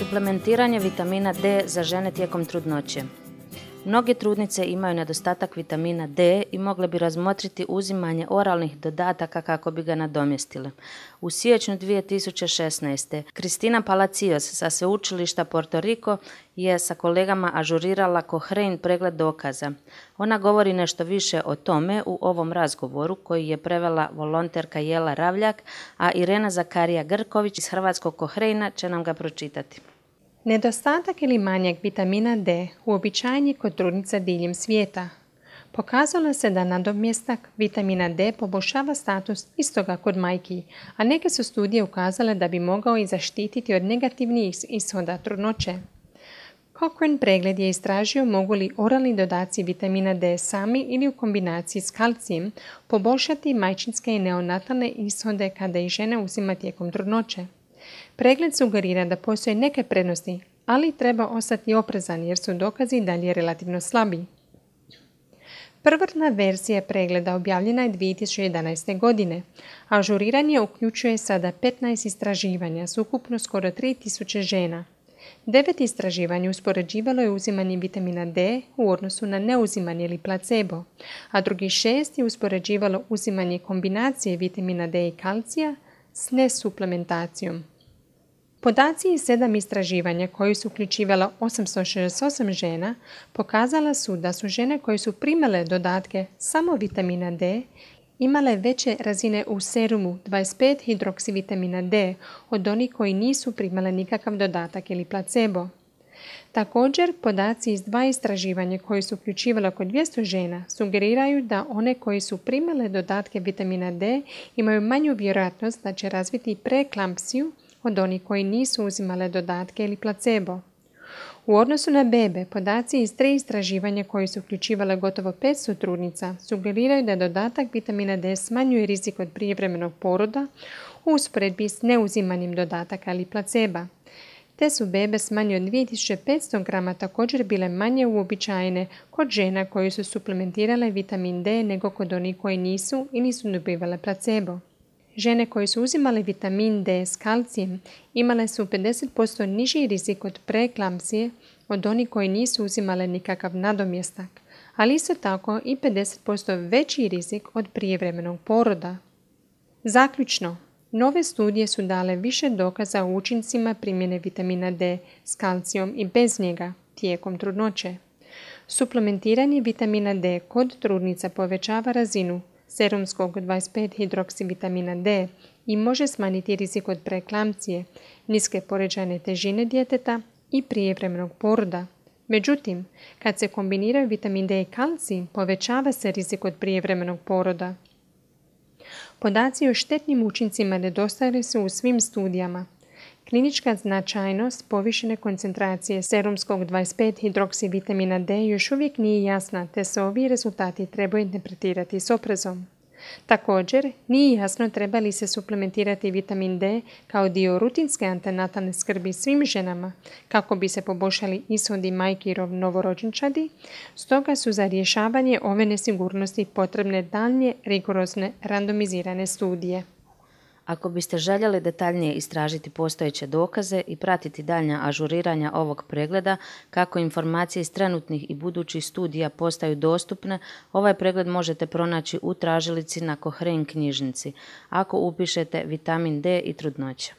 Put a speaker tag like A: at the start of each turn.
A: Suplementiranje vitamina D za žene tijekom trudnoće. Mnoge trudnice imaju nedostatak vitamina D i mogle bi razmotriti uzimanje oralnih dodataka kako bi ga nadomjestile. U siječnju 2016. Cristina Palacios sa sveučilišta Puerto Rico je sa kolegama ažurirala Cochrane pregled dokaza. Ona govori nešto više o tome u ovom razgovoru koji je prevela volonterka Jela Ravljak, a Irena Zakarija Grković iz hrvatskog Cochrana će nam ga pročitati.
B: Nedostatak ili manjak vitamina D uobičajen je kod trudnica diljem svijeta. Pokazalo se da nadomjestak vitamina D poboljšava status istoga kod majki, a neke su studije ukazale da bi mogao i zaštititi od negativnih ishoda trudnoće. Cochrane pregled je istražio mogu li oralni dodaci vitamina D sami ili u kombinaciji s kalcijem poboljšati majčinske i neonatalne ishode kada ih žena uzima tijekom trudnoće. Pregled sugerira da postoje neke prednosti, ali treba ostati oprezan jer su dokazi dalje relativno slabi. Prvotna verzija pregleda objavljena je 2011. godine, a ažuriranje uključuje sada 15 istraživanja s ukupno skoro 3000 žena. 9 istraživanja uspoređivalo je uzimanje vitamina D u odnosu na neuzimanje ili placebo, a drugih 6 je uspoređivalo uzimanje kombinacije vitamina D i kalcija s nesuplementacijom. Podaci iz 7 istraživanja koji su uključivala 868 žena pokazala su da su žene koje su primale dodatke samo vitamina D imale veće razine u serumu 25-hidroksivitamina D od onih koji nisu primale nikakav dodatak ili placebo. Također, podaci iz 2 istraživanja koji su uključivala oko 200 žena sugeriraju da one koji su primale dodatke vitamina D imaju manju vjerojatnost da će razviti preeklampsiju od onih koji nisu uzimale dodatke ili placebo. U odnosu na bebe, podaci iz 3 istraživanja koji su uključivale gotovo 500 trudnica sugeriraju da dodatak vitamina D smanjuje rizik od prijevremenog poroda u usporedbi s neuzimanjem dodataka ili placeba. Te su bebe s manje od 2500 grama također bile manje uobičajene kod žena koji su suplementirale vitamin D nego kod onih koji nisu ili su dobivale placebo. Žene koje su uzimale vitamin D s kalcijem imale su 50% niži rizik od preeklampsije od onih koji nisu uzimale nikakav nadomjestak, ali isto tako i 50% veći rizik od prijevremenog poroda. Zaključno, nove studije su dale više dokaza o učincima primjene vitamina D s kalcijom i bez njega tijekom trudnoće. Suplementiranje vitamina D kod trudnica povećava razinu serumskog 25-hidroksivitamina D i može smanjiti rizik od preeklampsije, niske poređajne težine djeteta i prijevremenog poroda. Međutim, kad se kombiniraju vitamin D i kalcij, povećava se rizik od prijevremenog poroda. Podaci o štetnim učincima nedostajali su u svim studijama. Klinička značajnost povišene koncentracije serumskog 25-hidroksivitamina D još uvijek nije jasna, te se ovi rezultati trebaju interpretirati s oprezom. Također, nije jasno treba li se suplementirati vitamin D kao dio rutinske antenatalne skrbi svim ženama kako bi se poboljšali ishodi majki i novorođenčadi, stoga su za rješavanje ove nesigurnosti potrebne daljnje rigorozne randomizirane studije.
A: Ako biste željeli detaljnije istražiti postojeće dokaze i pratiti daljnja ažuriranja ovog pregleda, kako informacije iz trenutnih i budućih studija postaju dostupne, ovaj pregled možete pronaći u tražilici na Cochrane knjižnici, ako upišete vitamin D i trudnoća.